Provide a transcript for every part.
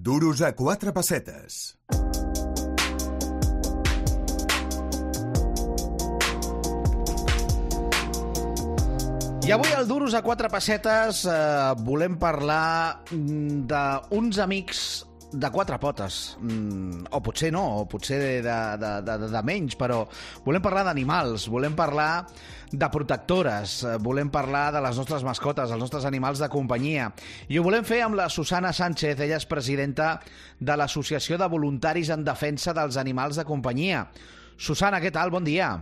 Duros a quatre pessetes. I avui al Duros a quatre pessetes volem parlar d'uns amics de quatre potes, o potser no, o potser de menys, però volem parlar d'animals, volem parlar de protectores, volem parlar de les nostres mascotes, els nostres animals de companyia. I ho volem fer amb la Susana Sánchez, ella és presidenta de l'Associació de Voluntaris en Defensa dels Animals de Companyia. Susana, què tal? Bon dia.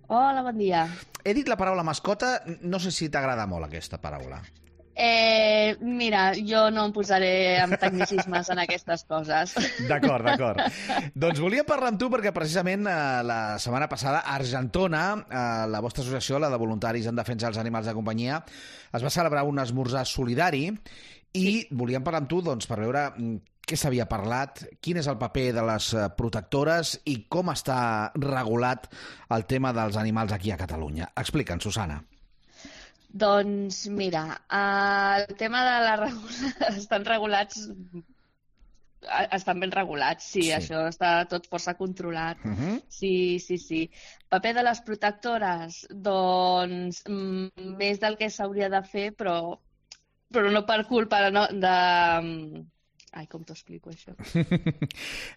Hola, bon dia. He dit la paraula mascota, no sé si t'agrada molt aquesta paraula. Mira, jo no em posaré amb tecnicismes en aquestes coses. D'acord. Doncs volia parlar amb tu perquè precisament la setmana passada a Argentona, la vostra associació, la de Voluntaris en Defensa dels Animals de Companyia, es va celebrar un esmorzar solidari i volíem parlar amb tu doncs, per veure què s'havia parlat, quin és el paper de les protectores i com està regulat el tema dels animals aquí a Catalunya. Explica'ns, Susana. Doncs mira, el tema de la estan regulats, estan ben regulats, sí, això està tot força controlat. Sí. Paper de les protectores, doncs més del que s'hauria de fer, però no per culpa de... Ai, com t'ho explico, això?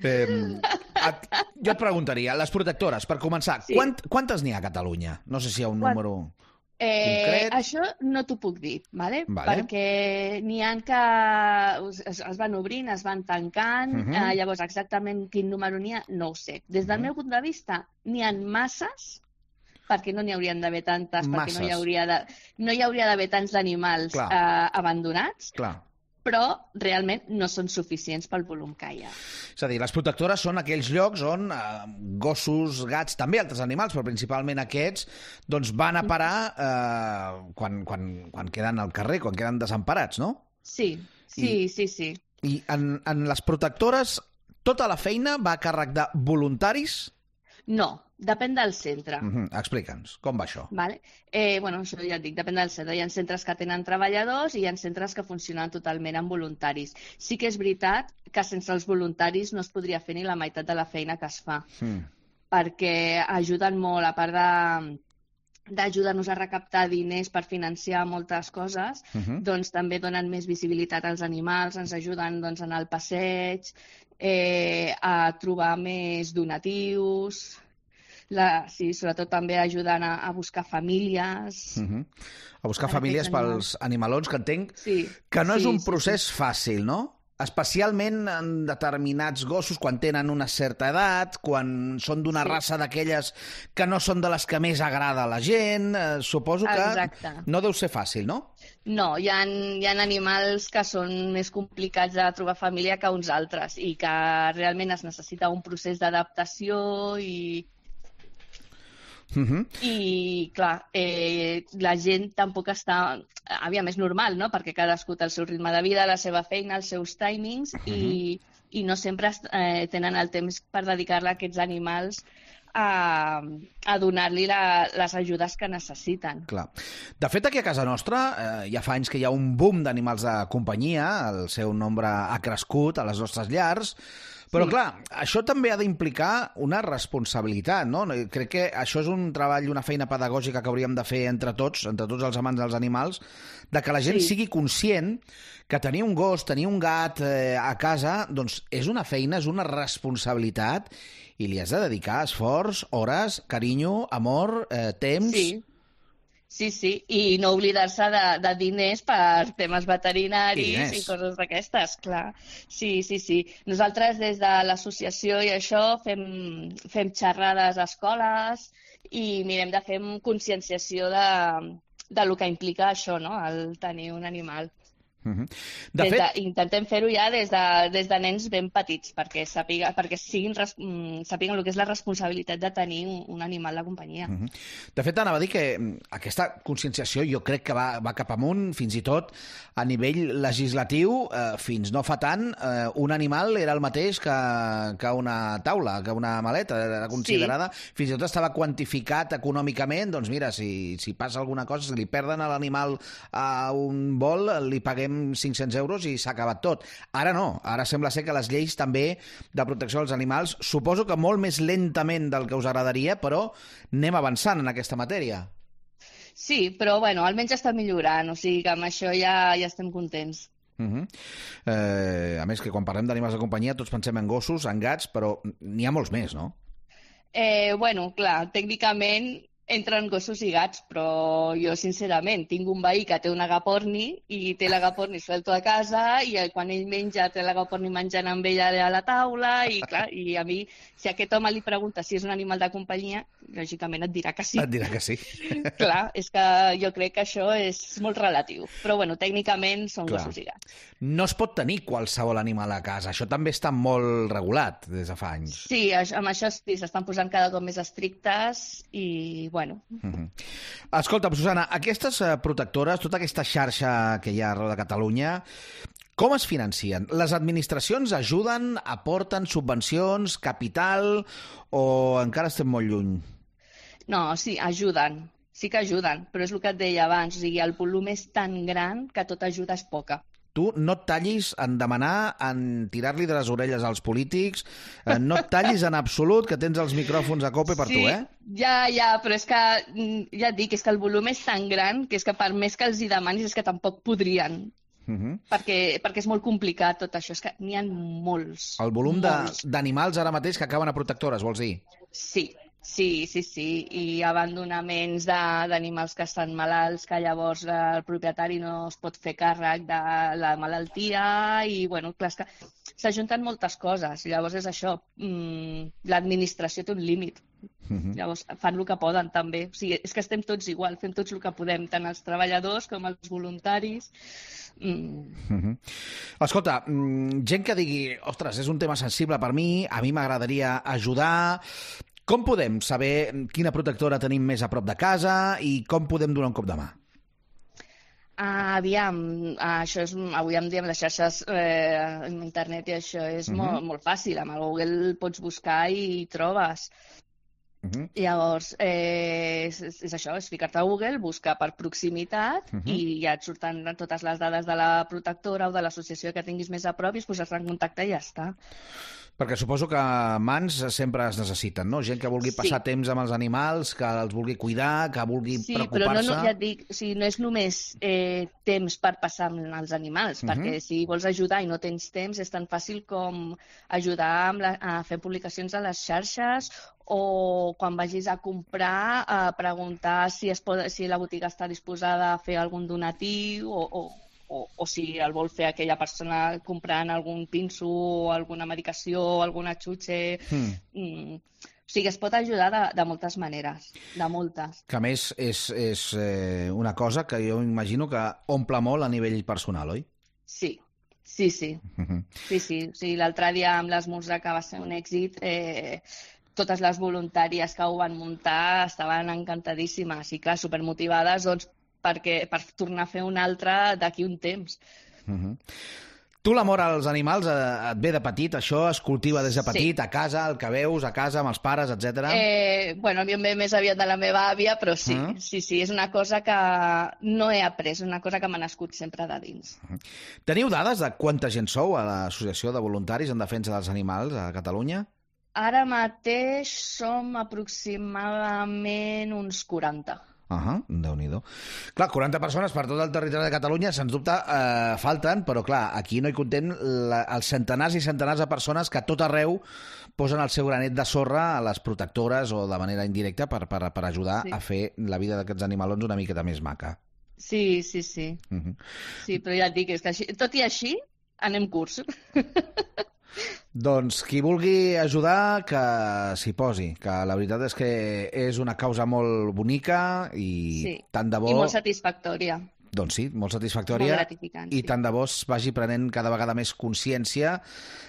Jo et preguntaria, les protectores, per començar, sí. Quantes n'hi ha a Catalunya? No sé si hi ha un número concret. Això no t'ho puc dir, vale? Perquè n'hi ha que es van obrint, es van tancant, llavors exactament quin número n'hi ha, no ho sé. Des del meu punt de vista, n'hi ha masses, perquè no n'hi haurien d'haver tantes, perquè no hi hauria d'haver tants animals abandonats. Clar. Però realment no són suficients pel volum que hi ha. És a dir, les protectores són aquells llocs on gossos, gats, també altres animals, però principalment aquests, doncs van a parar quan queden al carrer, quan queden desemparats, no? Sí. I en les protectores, tota la feina va a càrrec de voluntaris? No, depèn del centre. Explica'ns, com va això? Això ja et dic, depèn del centre. Hi ha centres que tenen treballadors i hi ha centres que funcionen totalment amb voluntaris. Sí que és veritat que sense els voluntaris no es podria fer ni la meitat de la feina que es fa, perquè ajuden molt, a part d'ajudar-nos a recaptar diners per financiar moltes coses, doncs també donen més visibilitat als animals, ens ajuden doncs, en el passeig, a trobar més donatius, sobretot també ajudant a buscar famílies. A buscar famílies pels animalons, que entenc que no és un procés fàcil, no? Especialment en determinats gossos, quan tenen una certa edat, quan són d'una raça d'aquelles que no són de les que més agrada a la gent, suposo que no deu ser fàcil, no? No, hi ha animals que són més complicats de trobar família que uns altres i que realment es necessita un procés d'adaptació i clar, la gent tampoc està... Aviam, és normal, no? Perquè cadascú té el seu ritme de vida, la seva feina, els seus timings i no sempre tenen el temps per dedicar-la a aquests animals a donar-li les ajudes que necessiten. Clar. De fet, aquí a casa nostra ja fa anys que hi ha un boom d'animals de companyia, el seu nombre ha crescut a les nostres llars, però clar, això també ha d'implicar una responsabilitat, no? Crec que això és un treball, una feina pedagògica que hauríem de fer entre tots els amants dels animals, de que la gent sigui conscient que tenir un gos, tenir un gat a casa, doncs és una feina, és una responsabilitat i li has de dedicar esforç, hores, carinyo, amor, temps... Sí, i no oblidar-se de diners per temes veterinaris i coses d'aquestes, clar. Sí. Nosaltres des de l'associació i això fem xerrades a escoles i mirem de fer conscienciació de lo que implica això, no?, el tenir un animal. Intentem fer-ho ja des de nens ben petits, perquè sàpiguen el que és la responsabilitat de tenir un animal de companyia. De fet, anava a dir que aquesta conscienciació jo crec que va cap amunt, fins i tot a nivell legislatiu, fins no fa tant, un animal era el mateix que una taula, que una maleta, era considerada, fins i tot estava quantificat econòmicament, doncs mira, si passa alguna cosa, si li perden a l'animal a un vol, li paguem paguem 500 euros i s'ha acabat tot. Ara no, ara sembla ser que les lleis també de protecció dels animals, suposo que molt més lentament del que us agradaria, però anem avançant en aquesta matèria. Sí, però bueno, almenys està millorant, o sigui que amb això ja estem contents. A més, que quan parlem d'animals de companyia tots pensem en gossos, en gats, però n'hi ha molts més, no? Bueno, clar, tècnicament entren gossos i gats, però jo, sincerament, tinc un veí que té un agaporni i té l'agaporni suelto a casa i quan ell menja té l'agaporni menjant amb ella a la taula i, clar, i a mi, si aquest home li pregunta si és un animal de companyia, lògicament et dirà que sí. Et dirà que sí. Clar, és que jo crec que això és molt relatiu. Però, bueno, tècnicament són gossos i gats. No es pot tenir qualsevol animal a casa. Això també està molt regulat des de fa anys. Sí, amb això sí, s'estan posant cada cop més estrictes i, bueno. Escolta, Susana, aquestes protectores, tota aquesta xarxa que hi ha arreu de Catalunya, com es financien? Les administracions ajuden, aporten subvencions, capital, o encara estem molt lluny? No, sí, ajuden. Sí que ajuden, però és el que et deia abans. O sigui, el volum és tan gran que tota ajuda és poca. Tu no et tallis en demanar, en tirar-li de les orelles als polítics, no et tallis en absolut, que tens els micròfons a cope per tu, eh? Ja, però és que, ja et dic, és que el volum és tan gran que és que per més que els hi demanis és que tampoc podrien. Perquè és molt complicat tot això, és que n'hi ha molts. El volum d'animals ara mateix que acaben a protectores, vols dir? Sí, i abandonaments d'animals que estan malalts, que llavors el propietari no es pot fer càrrec de la malaltia i, bueno, clar, és que s'ajunten moltes coses. Llavors és això, l'administració té un límit. Llavors fan el que poden també. O sigui, és que estem tots igual, fem tots el que podem, tant els treballadors com els voluntaris. Escolta, gent que digui, ostres, és un tema sensible per mi, a mi m'agradaria ajudar. Com podem saber quina protectora tenim més a prop de casa i com podem donar un cop de mà? Aviam, això és, avui en dia amb les xarxes internet i això és molt fàcil. Amb el Google pots buscar i trobes. Llavors, és això, és ficar-te a Google, buscar per proximitat i ja et surten totes les dades de la protectora o de l'associació que tinguis més a prop i es posar-te en contacte i ja està. Perquè suposo que mans sempre es necessiten, no? Gent que vulgui passar temps amb els animals, que els vulgui cuidar, que vulgui preocupar-se... Sí, però ja et dic, o sigui, no és només temps per passar amb els animals, perquè si vols ajudar i no tens temps, és tan fàcil com ajudar a fer publicacions a les xarxes o quan vagis a comprar, preguntar si la botiga està disposada a fer algun donatiu o si el vol fer aquella persona comprant algun pinso o alguna medicació o alguna xutxe. O sigui, es pot ajudar de moltes maneres, de moltes. Que a més és una cosa que jo imagino que omple molt a nivell personal, oi? Sí. Sí. O sigui, l'altre dia amb l'esmorzar, que va ser un èxit, totes les voluntàries que ho van muntar estaven encantadíssimes i, clar, supermotivades, doncs, per tornar a fer un altre d'aquí un temps. Tu l'amor als animals et ve de petit? Això es cultiva des de petit, a casa, el que veus, a casa, amb els pares, etc. Bueno, a mi em ve més aviat de la meva àvia, però sí, és una cosa que no he après, és una cosa que m'ha nascut sempre de dins. Teniu dades de quanta gent sou a l'Associació de Voluntaris en Defensa dels Animals a Catalunya? Ara mateix som aproximadament uns 40. Déu-n'hi-do. Clar, 40 persones per tot el territori de Catalunya, sens dubte falten, però clar, aquí no hi contem els centenars i centenars de persones que a tot arreu posen el seu granet de sorra a les protectores o de manera indirecta per ajudar a fer la vida d'aquests animalons una miqueta més maca. Sí. Sí, però ja et dic, és que tot i així anem curts. Doncs qui vulgui ajudar, que s'hi posi, que la veritat és que és una causa molt bonica i tant de bo... I molt satisfactòria. Doncs sí, molt satisfactòria. Molt gratificant, I tant de bo es vagi prenent cada vegada més consciència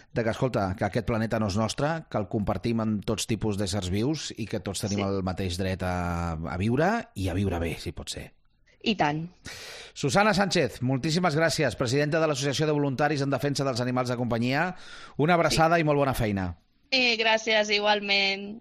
de que, escolta, que aquest planeta no és nostre, que el compartim amb tots tipus d'éssers vius i que tots tenim el mateix dret a viure i a viure bé, si pot ser. I tant. Susana Sánchez, moltíssimes gràcies, presidenta de l'Associació de Voluntaris en Defensa dels Animals de Companyia. Una abraçada i molt bona feina. Gràcies, igualment.